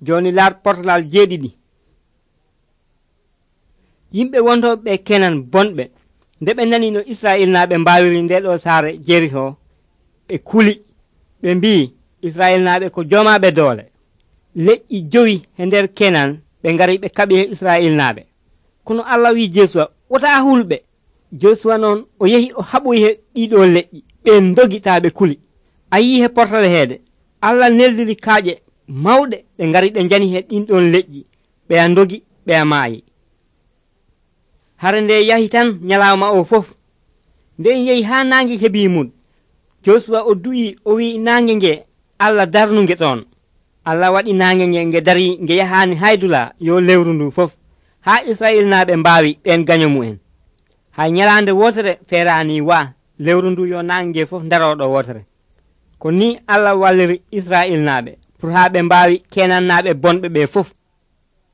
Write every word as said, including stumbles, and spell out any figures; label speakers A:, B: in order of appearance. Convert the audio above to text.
A: joni lar portalal jeeɗiɗi. Yimɓe wontoɓe ɓe Kenan bonɓe nde ɓe nani no Israil naaɓe mbawiri nde ɗo saare Jeriho, ɓe kuli ɓe mbi Israil naaɓe ko jomaɓe doole. Leƴƴi jowi e nder Kenan ɓe ngari ɓe kaɓi e Israil naaɓe. Kono Allah wi Josuwa wota hulɓe. Josuwa noon o yehi o haɓoyi he ɗiɗo leƴƴi, ɓen dogi taa ɓe kuli. A yii he portale heede Allah neldiri kaaƴe mawɗe ɓe ngari ɓe njani he ɗin ɗon leƴƴi, ɓeya dogi ɓeya maayi. Hare nde yahi tan nyalawma o fof, nde en yehi haa naange heɓi mum, Josuwa o du'i o wi naange nge Allah darnunge ɗon. Allah waɗi naange nge nge dari nge yahaani haydula yo lewru ndu fof, haa Israil naaɓe mbaawi ɓen gaño mu'en. Hay nyalaande wotere feeraani waa lewru ndu yo naange nge fof daroɗo wotere. Ko ni Allah walliri Israil naaɓe pour haa ɓe mbaawi Kenan naaɓe bonɓe ɓe fof